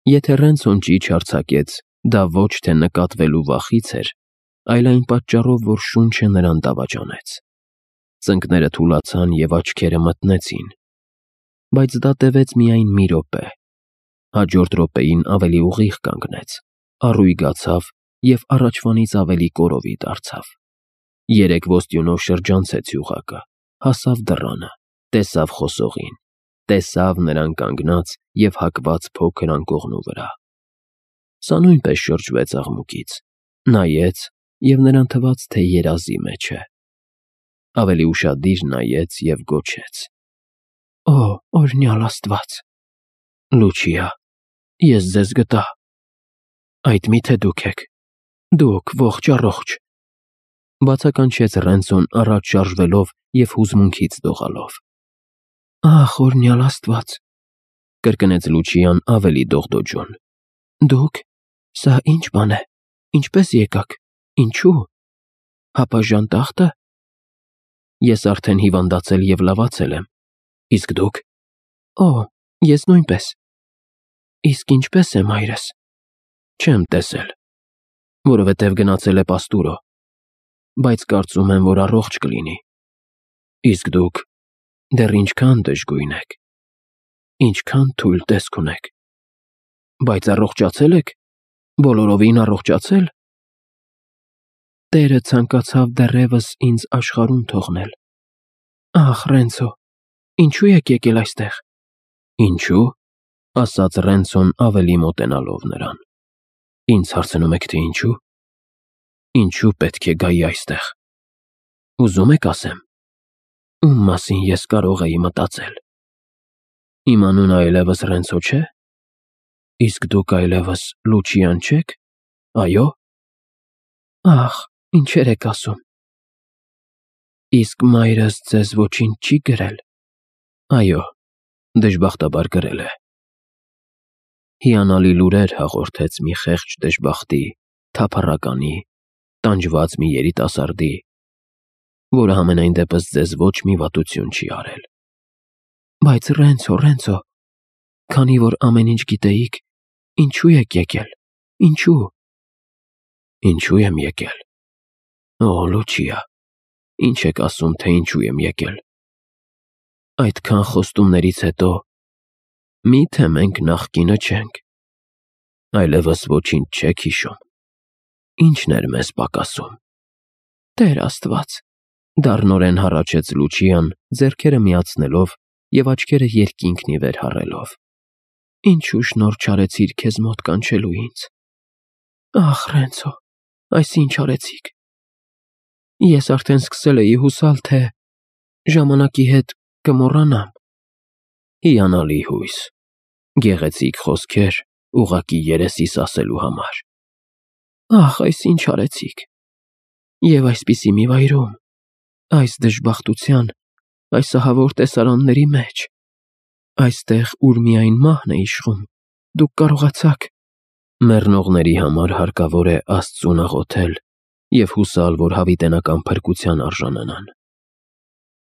Եթե Ռենցոն ճիչ արձակեց, դա ոչ թե նկատվելու վախից էր, այլ այն պատճառով, որ շունչը նրան դավաճանեց։ Ծնկները թուլացան և աչքերը մթնեցին։ Բայց դա տևեց միայն մի րոպե։ Հաջորդ րոպեին ավելի ուղիղ կանգնեց, առույգացավ և առաջվանից ավելի կորովի դարձավ։ Երեք ոստյունով շրջանցեց յուղակը, հասավ դռանը, տեսավ խոսողին, տեսավ նրան կանգնած և հակված փոքր անկողնու վրա։ Սա նույնպես շրջվեց աղմուկից, նայեց և նրան թվաց, թե երազի մեջ է։ Ավելի ուշադիր նայեց և գոչեց. «Օ, օրհնյալ Աստված, Լուչիա, ես ձեզ գտա։ Այդ մի՞թե դուք եք, դուք ողջ առողջ»։ Բացականչեց Ռենցոն առաջ շարժվելով և հուզմունքից դողալով։ «Ախ, օրհնյալ Աստված», կրկնեց Լուչիան ավելի դողդոջուն։ «Դուք… Սա ի՞նչ բան է, ինչպե՞ս եկաք, ինչու… Հապաժան տախտը… Ես արդեն հիվանդացել և լավացել եմ, իսկ դուք… Օ, ես նույնպես… Իսկ ինչպե՞ս է մայրս… Չեմ տեսել, որովհետև գնացել է պաստուրո, բայց կարծում եմ, որ առողջ կլինի… Իսկ դուք… դեռ ինչքան դժգույն եք… Ինչքան թույլ տեսք ունեք… Բայց առողջացե՞լ եք… Բոլորովին առողջացե՞լ… Տերը ցանկացավ դեռևս ինձ աշխարհում թողնել… Ախ, Ռենցո, ինչու եք եկել այստեղ… Ինչու՞, ասաց Ռենցոն ավելի մոտենալով նրան։ Ինձ հարցնում եք, թե ինչու… Ինչու պետք է գայի այստեղ… Ուզում եք ասեմ… Ում մասին ես կարող էի մտածել… Իմ անունը այլևս Ռենցո չէ… Իսկ դուք այլևս Լուչիան չեք… Այո՞։ Ախ, ինչեր եք ասում… Իսկ մայրս ձեզ ոչինչ չի գրել… Այո, դժբախտաբար գրել է… Հիանալի լուրեր հաղորդեց մի խեղճ դժբախտի, թափառականի, տանջված մի երիտասարդի, որը համենայն դեպս ձեզ ոչ մի վատություն չի արել… Բայց Ռենցո, քանի որ ամեն ինչ գիտեիք, ինչու եք եկել… Ինչու… Ինչու եմ եկել… Օ, Լուչիա, ինչ եք ասում, թե ինչու եմ եկել… Այդքան խոստումներից հետո… Մի՞թե մենք նախկինը չենք… Այլևս ոչինչ չեք հիշում… Ի՞նչն էր մեզ պակասում… Տեր Աստված… Դառնորեն հառաչեց Լուչիան, ձեռքերը միացնելով և աչքերը երկինքն ի վեր հառելով։ Ինչու շնորհ չարեցիր քեզ մոտ կանչելու ինձ… Ախ, Ռենցո, այս ինչ արեցիք… Ես արդեն սկսել էի հուսալ, թե… ժամանակի հետ կմոռանամ… Հիանալի հույս… Գեղեցիկ խոսքեր ուղղակի երեսիս ասելու համար… Ախ, այս ինչ արեցիք… Եվ այսպիսի մի վայրում… Այս դժբախտության, այս ահավոր տեսարանների մեջ… Այստեղ, ուր միայն մահն է իշխում, դուք կարողացաք… Մեռնողների համար հարկավոր է Աստծուն աղոթել և հուսալ, որ հավիտենական փրկության արժանանան…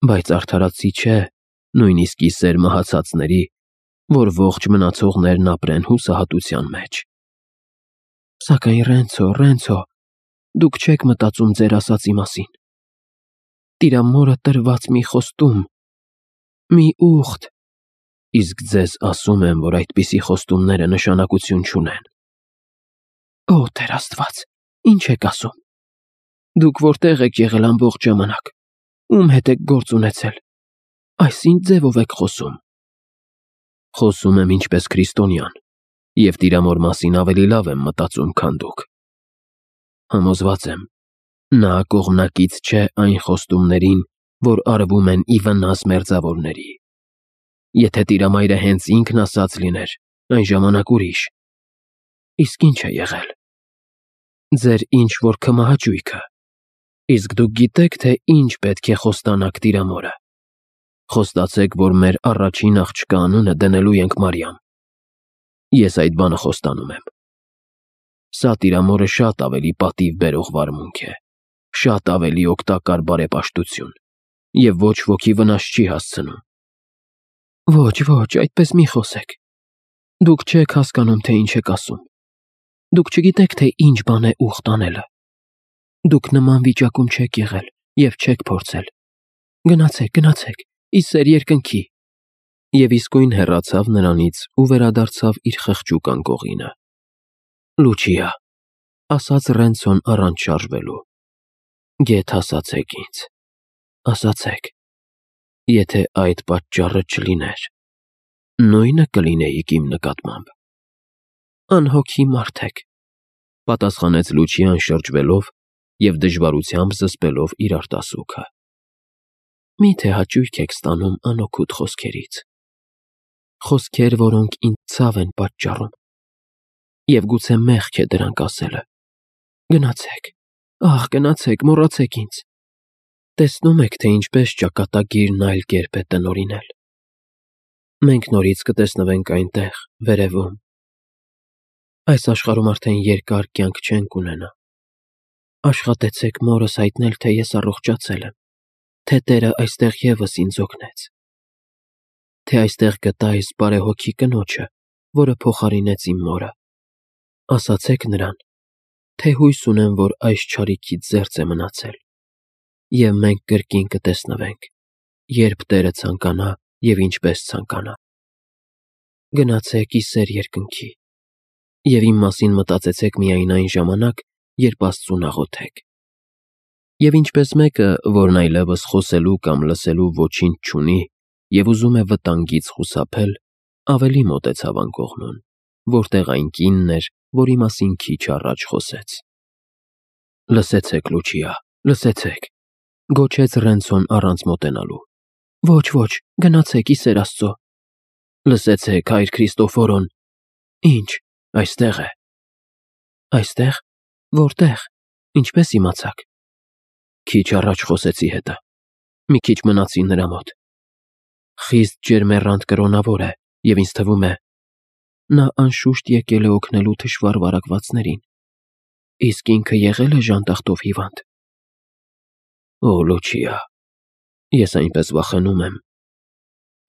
Բայց արդարացի չէ, նույնիսկ ի սեր մահացածների, որ ողջ մնացողներն ապրեն հուսահատության մեջ… Սակայն Ռենցո, դուք չեք մտածում ձեր ասածի մասին… Տիրամորը տրված մի խոստում… Մի ուխտ… Իսկ ձեզ ասում եմ, որ այդպիսի խոստումները նշանակություն չունեն… Օ, Տեր Աստված, ի՞նչ եք ասում… Դուք որտե՞ղ եք եղել ամբողջ ժամանակ… Ում հետ եք գործ ունեցել… Այս ի՞նչ ձևով եք խոսում… Խոսում եմ ինչպես քրիստոնյան և Տիրամոր մասին ավելի լավ եմ մտածում, քան դուք… Համոզված եմ, նա կողմնակից չէ այն խոստումներին, որ արվում են ի վնաս մերձավորների… Եթե Տիրամայրը հենց ինքն ասաց լիներ, այն ժամանակ ուրիշ… Իսկ ի՞նչ է եղել… Ձեր ինչ-որ քմահաճույքը… Իսկ դուք գիտեք, թե ինչ պետք է խոստանաք Տիրամորը… Խոստացեք, որ մեր առաջին աղջկա անունը դնելու ենք Մարիամ… Ես այդ բանը խոստանում եմ… Սա Տիրամորը շատ ավելի պատիվ բերող վարմունք է… Շատ ավելի օգտակար բարեպաշտություն… Եվ ոչ ոքի վնաս չի հասցնում… Ոչ, այդպես մի խոսեք… Դուք չեք հասկանում, թե ինչ եք ասում։ Դուք չգիտեք, թե ինչ բան է ուխտ անելը։ Դուք նման վիճակում չեք եղել և չեք փորձել։ Գնացեք, ի սեր երկնքի։ Եվ իսկույն հեռացավ նրանից ու վերադարձավ իր խղճուկ անկողինը։ Լուչիա, ասաց Ռենցոն առանց շարժվելու, գեթ ասացեք ինձ, ասացեք, եթե այդ պատճառը չլիներ, նույնը կլինեիք իմ նկատմամբ։ Անհոգի մարդ եք, պատասխանեց Լուչիան շրջվելով և դժվարությամբ զսպելով իր արտասուքը։ Միթե հաճույք եք ստանում անօգուտ խոսքերից, խոսքեր, որոնք ինձ ցավ են պատճառում, և գուցե մեղք է դրանք ասելը։ Գնացեք, գնացեք, մոռացեք ինձ։ Տեսնում եք, թե ինչպես ճակատագիրն այլ կերպ է տնօրինել։ Մենք նորից կտեսնվենք այնտեղ, վերևում։ Այս աշխարհում արդեն երկար կյանք չենք ունենա։ Աշխատեցեք մորս հայտնել, թե ես առողջացել եմ, թե Տերը այստեղ ևս ինձ օգնեց, թե այստեղ գտա այս բարեհոգի կնոջը, որը փոխարինեց իմ մորը։ Ասացեք նրան, թե հույս ունեմ, որ այս չարիքից զերծ է մնացել, և մենք կրկին կտեսնվենք, երբ Տերը ցանկանա և ինչպես ցանկանա։ Գնացեք ի սեր երկնքի, և իմ մասին մտածեցեք միայն այն ժամանակ, երբ Աստծուն աղոթեք։ Եվ ինչպես մեկը, որն այլևս խոսելու կամ լսելու ոչինչ չունի և ուզում է վտանգից խուսափել, ավելի մոտեցավ անկողնուն, որտեղ այն կինն էր, որի մասին քիչ առաջ խոսեց։ Լսեցեք, Լուչիա, լսեցեք, գոչեց Ռենցոն առանց մոտենալու։ Ոչ, գնացեք, ի սեր Աստծո։ Լսեցեք, հայր Քրիստոֆորոն։ Ինչ, այստեղ է։ Այստեղ։ Որտեղ։ Ինչպես իմացաք։ Քիչ առաջ խոսեցի հետը։ Մի քիչ մնացի նրա մոտ։ Խիստ ջերմեռանդ կրոնավոր է, և ինձ թվում է, նա անշուշտ եկել է օգնելու թշվառ վարակվածներին։ Իսկ ինքը եղել է ժանտախտով հիվանդ։ Օ, Լուչիա, ես այնպես վախենում եմ։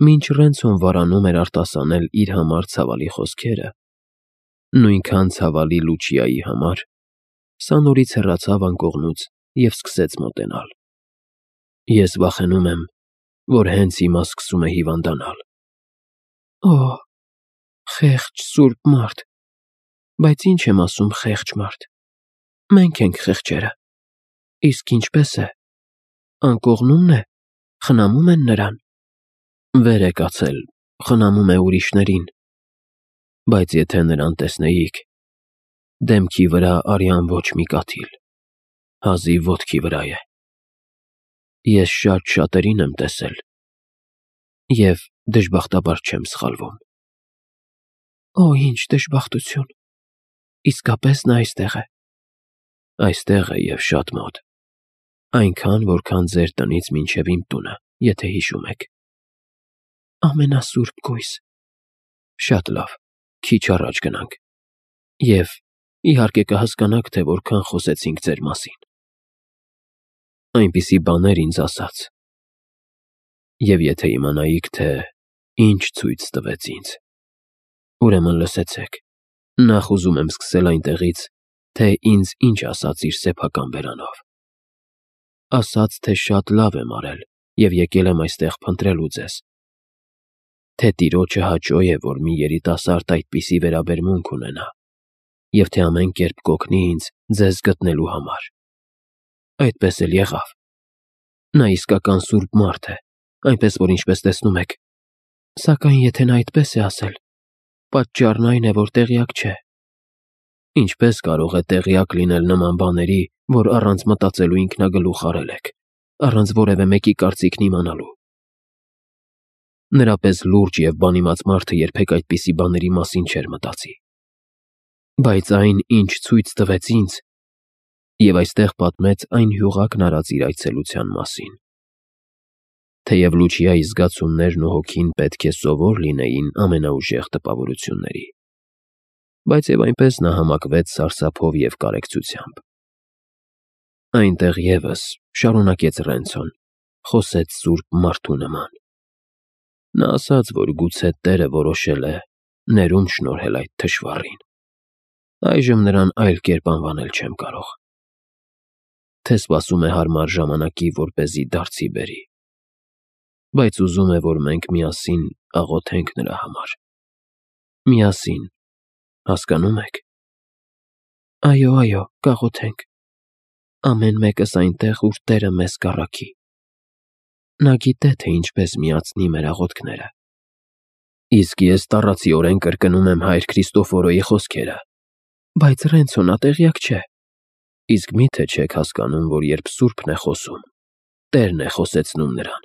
Մինչ Ռենցոն վարանում էր արտասանել իր համար ցավալի խոսքերը, նույնքան ցավալի Լուչիայի համար, սա նորից հեռացավ անկողնուց և սկսեց մոտենալ։ Ես վախենում եմ, որ հենց հիմա սկսում է հիվանդանալ։ Օ, խեղճ սուրբ մարդ, բայց ինչ եմ ասում խեղճ մարդ։ Մենք ենք խեղճերը։ Իսկ ինչպես է։ Անկողնու՞մն է, խնամում են նրան։ Վեր է կացել, խնամում է ուրիշներին, բայց եթե նրան տեսնեիք, դեմքի վրա արյան ոչ մի կաթիլ, հազիվ ոտքի վրա է։ Ես շատ շատերին եմ տեսել, և դժբախտաբար չեմ սխալվում։ Օ, ինչ դժբախտություն, իսկապես նա այստեղ է։ Այստեղ է և շատ մոտ, այնքան, որքան ձեր տնից մինչև իմ տունը, եթե հիշում եք։ Ամենասուրբ գույս։ Շատ լավ, քիչ առաջ գնանք, և իհարկե կհասկանաք, թե որքան խոսեցինք ձեր մասին։ Այնպիսի բաներ ինձ ասաց։ Եվ եթե իմանայիք, թե ինչ ցույց տվեց ինձ, ուրեմն լսեցեք, նախ ուզում եմ սկսել այնտեղից, թե ինձ ինչ ասաց իր սեփական բերանով։ Ասաց, թե շատ լավ եմ արել և եկել եմ այստեղ փնտրելու ձեզ, թե Տիրոջը հաճո է, որ մի երիտասարդ այդպիսի վերաբերմունք ունենա, և թե ամեն կերպ կօգնի ինձ ձեզ գտնելու համար։ Այդպես էլ եղավ։ Նա իսկական սուրբ մարդ է, այնպես որ ինչպես տեսնում եք, սակայն եթե նա այդպես է ասել, պատճառն այն է, որ տեղյակ չէ։ Ինչպես կարող է տեղյակ լինել նման բաների, որ առանց մտածելու ինքնագլուխ արել եք, առանց որևէ մեկի կարծիքն իմանալու։ Նրա պես լուրջ և բանիմաց մարդը երբեք այդպիսի բաների մասին չէր մտածի։ Բայց այն, ինչ ցույց տվեց ինձ, և այստեղ պատմեց այն հյուղակն արած իր այցելության մասին։ Թեև Լուչիայի զգացումներն ու հոգին պետք է սովոր լինեին ամենաուժեղ տպավորությունների, բայց և այնպես նա համակվեց սարսափով և կարեկցությամբ։ Այնտեղ ևս, շարունակեց Ռենցոն, խոսեց սուրբ մարդու նման։ Նա ասաց, որ գուցե Տերը որոշել է, ներում շնորհել այդ թշվառին։ Այժմ նրան այլ կերպ անվանել չեմ կարող։ Թե սպասում է հարմար ժամանակի, որպեսզի դարձի բերի, բայց ուզում է, որ մենք միասին աղոթենք նրա համար։ Միասին, հասկանո՞ւմ եք։ Այո, կաղոթենք։ Ամեն մեկս այնտեղ, ուր Տերը մեզ կառաքի։ Նա գիտե, թե ինչպես միացնի մեր աղոթքները։ Իսկ ես տառացիորեն կրկնում եմ հայր Քրիստոֆորոյի խոսքերը։ Բայց Ռենցո, նա տեղյակ չէ։ Իսկ մի՞թե չեք հասկանում, որ երբ Սուրբն է խոսում, Տերն է խոսեցնում նրան,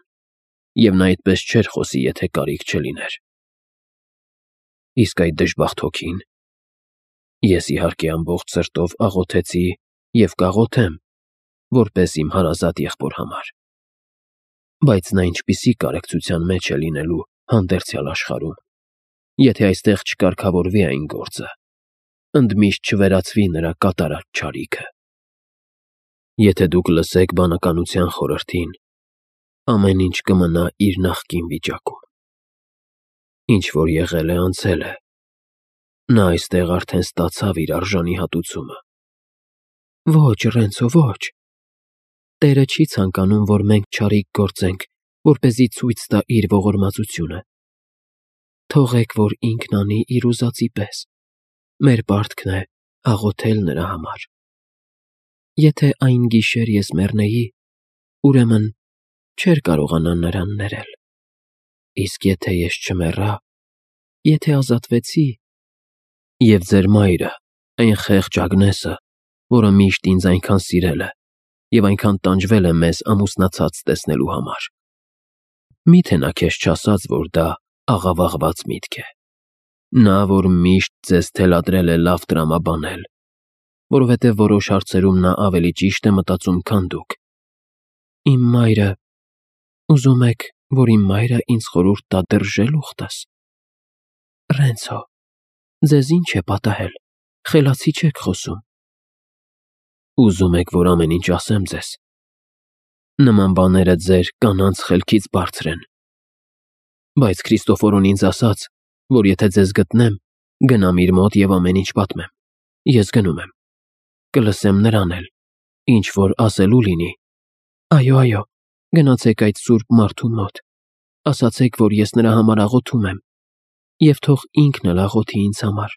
և նա այդպես չէր խոսի, եթե կարիք չլիներ։ Իսկ այդ դժբախտ հոգին։ Ես իհարկե ամբողջ սրտով աղոթեցի և կաղոթեմ, որպես իմ հարազատ եղբոր համար։ Բայց նա ինչպիսի կարեկցության մեջ է լինելու հանդերձյալ աշխարհում, եթե այստեղ չկարգավորվի այն գործը, ընդմիշտ չվերացվի նրա կատարած չարիքը։ Եթե դուք լսեք բանականության խորհրդին, ամեն ինչ կմնա իր նախկին վիճակում։ Ինչ որ եղել է, անցել է։ Նա այստեղ արդեն ստացավ իր արժանի հատուցումը։ Ոչ, Ռենցո, ոչ։ Տերը չի ցանկանում, որ մենք չարիք գործենք, որպեսզի ցույց տա իր ողորմածությունը։ Թողեք, որ ինքն անի իր ուզածի պես։ Մեր պարտքն է աղոթել նրա համար։ Եթե այն գիշեր ես մեռնեի, ուրեմն չէր կարողանա նրան ներել։ Իսկ եթե ես չմեռա, եթե ազատվեցի, և ձեր մայրը, այն խեղճ Ագնեսը, որը միշտ ինձ այնքան սիրել է և այնքան տանջվել է մեզ ամուսնացած տեսնելու համար, մի՞թե նա քեզ չասաց, որ դա աղավաղված միտք է։ Նա, որ միշտ ձեզ թելադրել է լավ տրամաբանել, որովհետև որոշ հարցերում նա ավելի ճիշտ է մտածում, քան դուք։ Իմ մայրը… Ուզում եք, որ իմ մայրը ինձ խորհուրդ տա դրժել ուխտս։ Ռենցո, ձեզ ինչ է պատահել, խելացի չեք խոսում։ Ուզում եք, որ ամեն ինչ ասեմ ձեզ։ Նման բաները ձեր կանանց խելքից բարձր են։ Բայց Քրիստոֆորոն ինձ ասաց, որ եթե ձեզ գտնեմ, գնամ իր մոտ և ամեն ինչ պատմեմ։ Ես գնում եմ։ Կլսեմ նրան էլ, ինչ որ ասելու լինի։ Այո, գնացեք այդ սուրբ մարդու մոտ։ Ասացեք, որ ես նրա համար աղոթում եմ, և թող ինքն էլ աղոթի ինձ համար,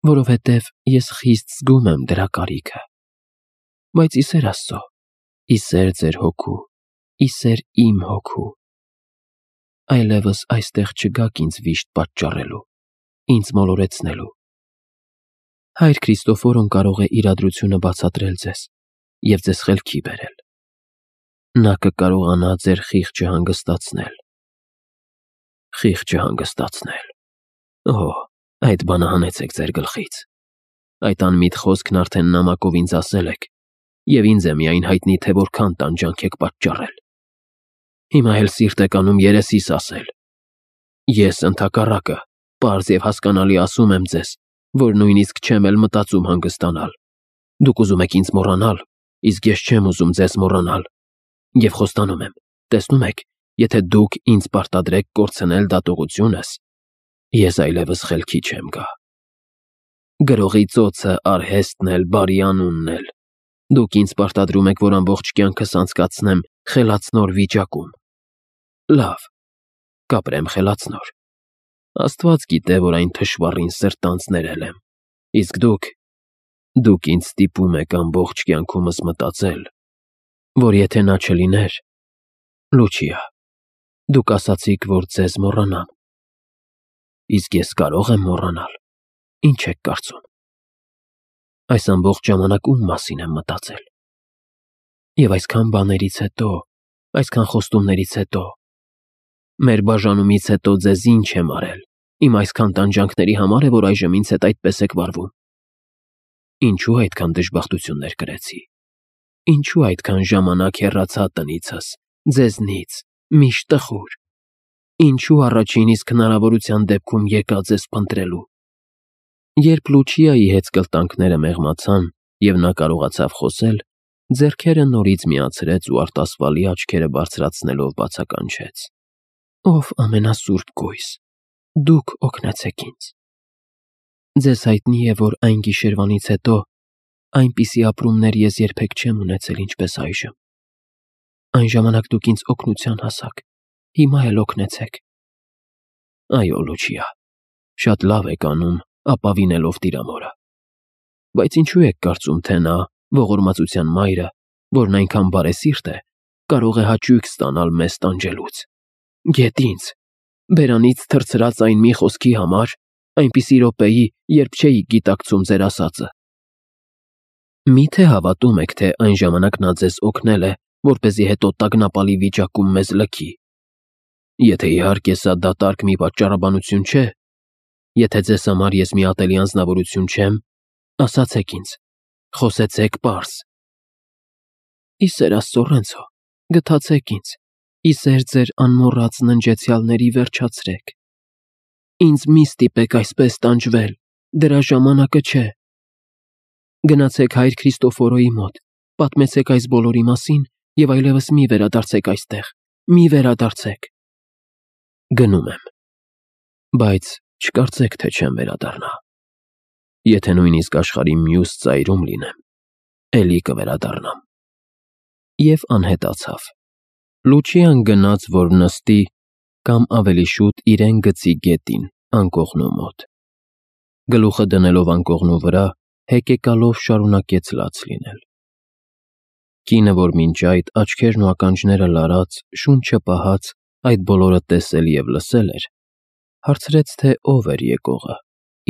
որովհետև ես խիստ զգում եմ դրա կարիքը։ Բայց ի սեր Աստծո, ի սեր ձեր հոգու, ի սեր իմ հոգու, այլևս այստեղ չգաք ինձ վիշտ պատճառելու, ինձ մոլորեցնելու։ Հայր Քրիստոֆորոն կարող է իրադրությունը բացատրել ձեզ և ձեզ խելքի բերել։ Նա կկարողանա ձեր խիղճը հանգստացնել։ Խիղճը հանգստացնել։ Օհ, այդ բանը հանեցեք ձեր գլխից։ Այդ անմիտ խոսքն արդեն նամակով ինձ ասել եք, և ինձ է միայն հայտնի, թե որքան տանջանք եք պատճառել։ Հիմա էլ սիրտ եք անում երեսիս ասել։ Ես ընդհակառակը, պարզ և հասկանալի ասում եմ ձեզ, որ նույնիսկ չեմ էլ մտածում հանգստանալ։ Դուք ուզում եք ինձ մոռանալ, իսկ ես չեմ ուզում ձեզ մոռանալ։ Եվ խոստանում եմ, տեսնում եք, եթե դուք ինձ պարտադրեք կորցնել դատողությունս, ես այլևս խելքի չեմ գա։ Գրողի ծոցը, արհեստն էլ, բարի անունն էլ։ Դուք ինձ պարտադրում եք, որ ամբողջ կյանքս անցկացնեմ խելացնոր վիճակում։ Լավ, կապրեմ խելացնոր։ Աստված գիտե, որ այն թշվառին սրտանց ներել եմ։ Իսկ դուք ինձ ստիպում եք ամբողջ կյանքումս մտածել, որ եթե նա չլիներ… Լուչիա, դուք ասացիք, որ ձեզ մոռանամ։ Իսկ ես կարո՞ղ եմ մոռանալ։ Ինչ եք կարծում։ Այս ամբողջ ժամանակ ում մասին եմ մտածել։ Եվ այսքան բաներից հետո, այսքան խոստումներից հետո, մեր բաժանումից հետո ձեզ ինչ եմ արել, իմ այսքան տանջանքների համար է, որ այժմ ինձ հետ այդպես եք վարվում։ Ինչու այդքան դժբախտություններ կրեցի։ Ինչու այդքան ժամանակ հեռացա տնիցս, ձեզնից, միշտ տխուր։ Ինչու առաջին իսկ հնարավորության դեպքում եկա ձեզ փնտրելու։ Երբ Լուչիայի հետցկլտանքները մեղմացան, և նա կարողացավ խոսել, ձեռքերը նորից միացրեց ու արտասվալի աչքերը բարձրացնելով բացականչեց. Ով ամենասուրբ գույս, Դուք օգնեցեք ինձ։ Ձեզ հայտնի է, որ այն գիշերվանից հետո այնպիսի ապրումներ ես երբեք չեմ ունեցել, ինչպես այժմ։ Այն ժամանակ դուք ինձ օգնության հասաք, հիմա էլ օգնեցեք։ Այո, Լուչիա, շատ լավ եք անում, ապավինելով Տիրամորը։ Բայց ինչու եք կարծում, թե նա, ողորմածության մայրը, որն այնքան բարեսիրտ է, կարող է հաճույք ստանալ մեզ տանջելուց։ Գետ ինձ, բերանից թռցրած այն մի խոսքի համար, այնպիսի րոպեի, երբ չէի գիտակցում ձեր ասածը։ Միթե հավատում եք, թե այն ժամանակ նա ձեզ օգնել է, որպեսզի հետո տագնապալի վիճակում մեզ լքի։ Եթե իհարկե սա դատարկ մի պատճառաբանություն չէ, եթե ձեզ համար ես մի ատելի անձնավորություն չեմ, ասացեք ինձ, խոսեցեք պարզ։ Իսեր Աստծո, Ռենցո, գթացեք ինձ, իսեր ձեր անմոռաց ննջեցյալների վերջացրեք։ Ինձ մի ստիպեք այսպես տանջվել, դրա ժամանակը չէ։ Գնացեք հայր Քրիստոֆորոյի մոտ, պատմեցեք այս բոլորի մասին և այլևս մի վերադարձեք այստեղ, մի վերադարձեք։ Գնում եմ, բայց չկարծեք, թե չեմ վերադառնա։ Եթե նույնիսկ աշխարհի մյուս ծայրում լինեմ, էլի կվերադառնամ։ Եվ անհետացավ։ Լուչիան գնաց, որ նստի, կամ ավելի շուտ իրեն գցի գետին, անկողնու մոտ։ Գլուխը դնելով անկողնու վրա, հեկեկալով շարունակեց լաց լինել։ Կինը, որ մինչ այդ աչքերն ու ականջները լարած, շունչը պահած, այդ բոլորը տեսել և լսել էր, հարցրեց, թե ով էր եկողը,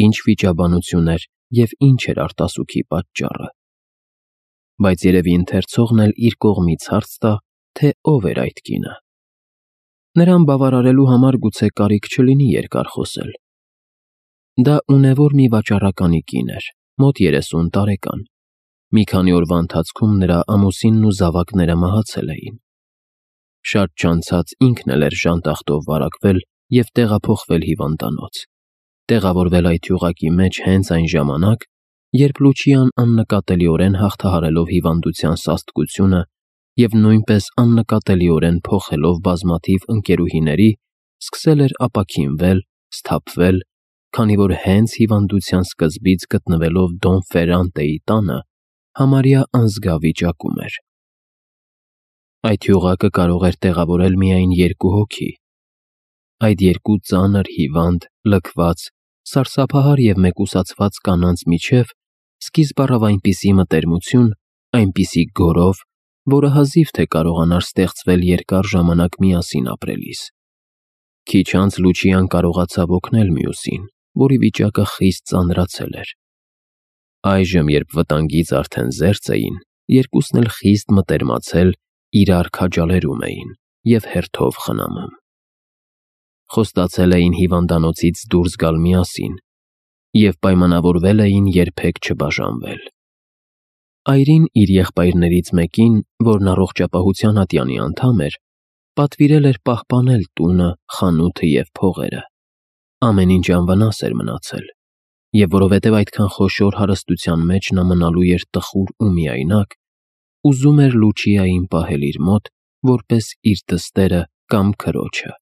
ինչ վիճաբանություն էր և ինչ էր արտասուքի պատճառը։ Բայց երևի ընթերցողն էլ իր կողմից հարց տա, թե ով էր այդ կինը։ Նրան բավարարելու համար գուցե կարիք չլինի երկար խոսել։ Դա ունևոր մի վաճառականի կին էր, մոտ 30 տարեկան։ Մի քանի օրվա ընթացքում նրա ամուսինն ու զավակները մահացել էին։ Շատ չանցած ինքն էլ էր ժանտախտով վարակվել և տեղափոխվել հիվանդանոց, տեղավորվել այդ յուղակի մեջ հենց այն ժամանակ, երբ Լուչիան աննկատելիորեն հաղթահարելով հիվանդության սաստկությունը և նույնպես աննկատելիորեն փոխելով բազմաթիվ ընկերուհիների, սկսել էր ապաքինվել, սթափվել, քանի որ հենց հիվանդության սկզբից գտնվելով Դոն Ֆերրանտեի տանը, համարյա անզգա վիճակում էր։ Այդ յուղակը կարող էր տեղավորել միայն 2 հոգի։ Այդ 2 ծանր, հիվանդ, լքված, սարսափահար և մեկուսացված կանանց միջև սկիզբ առավ այնպիսի մտերմություն, այնպիսի գորով, որը հազիվ թե կարողանար ստեղծվել երկար ժամանակ միասին ապրելիս։ Քիչ անց Լուչիան կարողացավ օգնել մյուսին, որի վիճակը խիստ ծանրացել էր։ Այժմ, երբ վտանգից արդեն զերծ էին, երկուսն էլ խիստ մտերմացել, իրար քաջալերում էին և հերթով խնամում։ Խոստացել էին հիվանդանոցից դուրս գալ միասին և պայմանավորվել էին երբեք չբաժանվել։ Այրին իր եղբայրներից մեկին, որն առողջապահության ատյանի անդամ էր, պատվիրել էր պահպանել տունը, խանութը և փողերը։ Ամեն ինչ անվնաս էր մնացել, և որովհետև այդքան խոշոր հարստության մեջ նա մնալու էր տխուր ու միայնակ, ուզում էր Լուչիային պահել իր մոտ, որպես իր դստերը կամ քրոջը։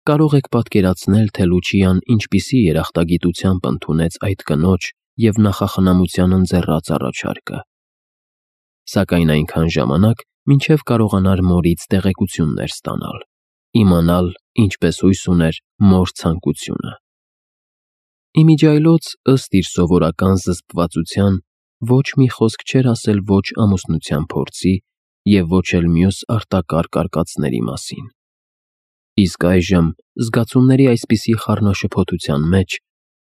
Կարող եք պատկերացնել, թե Լուչիան ինչպիսի երախտագիտությամբ ընդունեց այդ կնոջ և նախախնամության ընձեռած առաջարկը։ Սակայն այնքան ժամանակ, մինչև կարողանար մորից տեղեկություններ ստանալ, իմանալ, ինչպես հույս ուներ, մոր ցանկությունը։ Իմիջիայլոց, ըստ իր սովորական զսպվածության, ոչ մի խոսք չէր ասել ոչ ամուսնության փորձի և ոչ էլ մյուս արտակարգ արկածների մասին։ Իսկ այժմ, զգացումների այսպիսի խառնաշփոթության մեջ,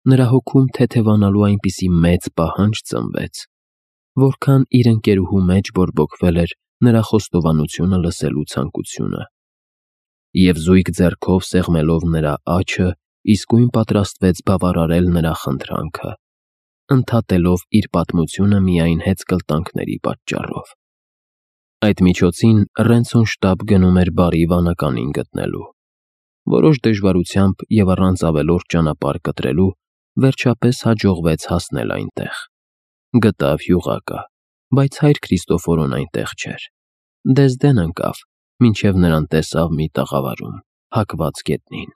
նրա հոգում թեթևանալու այնպիսի մեծ պահանջ ծնվեց, որքան իր ընկերուհու մեջ բորբոքվել էր նրա խոստովանությունը լսելու ցանկությունը։ Եվ զույգ ձեռքով սեղմելով նրա աջը, իսկույն պատրաստվեց բավարարել նրա խնդրանքը, ընդհատելով իր պատմությունը միայն հեծկլտանքների պատճառով։ Այդ միջոցին Ռենցոն շտապ գնում էր բարի վանականին գտնելու։ Որոշ դժվարությամբ և առանց ավելորդ ճանապարհ կտրելու, վերջապես հաջողվեց հասնել այնտեղ։ Գտավ յուղակը, բայց հայր Քրիստոֆորոն այնտեղ չէր։ Դեզդեն ընկավ, մինչև նրան տեսավ մի տաղավարում, հակված գետնին։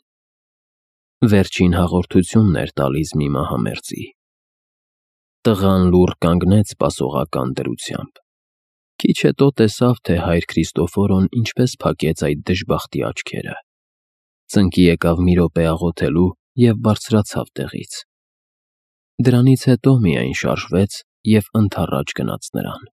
Վերջին հաղորդությունն էր տալիս մի մահամերձի։ Տղան լուռ կանգնեց սպասողական դրությամբ։ Քիչ հետո տեսավ, թե հայր Քրիստոֆորոն ինչպես փակեց այդ դժբախտի աչքերը։ Ծնկի եկավ մի րոպե աղոթելու և բարձրացավ տեղից։ Դրանից հետո միայն շարժվեց և ընդառաջ գնաց նրան։